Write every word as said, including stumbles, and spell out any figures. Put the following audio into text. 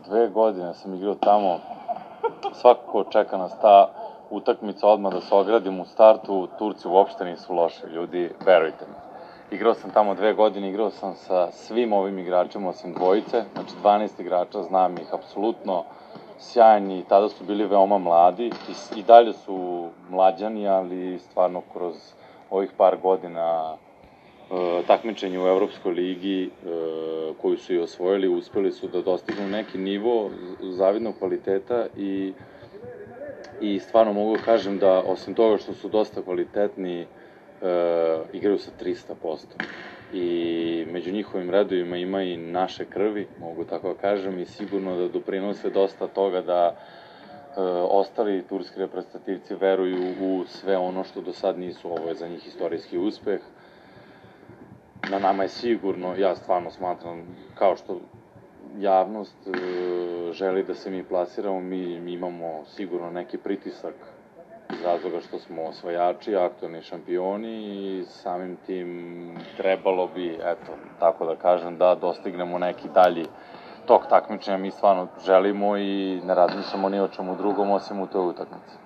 dve godine sam igrao tamo, svakako čeka nas ta utakmica odmah da se ogradim u startu, Turci uopšte nisu loši ljudi, verujte mi. Igrao sam tamo dve godine, igrao sam sa svim ovim igračima osim dvojice, znači dvanaest igrača, znam ih apsolutno sjajni, tada su bili veoma mladi i, i dalje su mlađani, ali stvarno kroz ovih par godina e, takmičenja u Evropskoj ligi e, koju su i osvojili, uspeli su da dostignu neki nivo zavidnog kvaliteta i i stvarno mogu da kažem da osim toga što su dosta kvalitetni e, igraju sa trista posto i među njihovim redovima ima i naše krvi, mogu tako da kažem, i sigurno da doprinose dosta toga da e, ostali turski reprezentativci veruju u sve ono što do sad nisu. Ovo je za njih istorijski uspeh. Na nama je sigurno, ja stvarno smatram, kao što javnost e, želi da se mi plasiramo, mi, mi imamo sigurno neki pritisak iz razloga što smo osvajači, aktualni šampioni i samim tim trebalo bi, eto, tako da kažem, da dostignemo neki dalji tok takmičenja. Mi stvarno želimo i ne razmišljamo ni o čemu drugom osim u toj utakmici.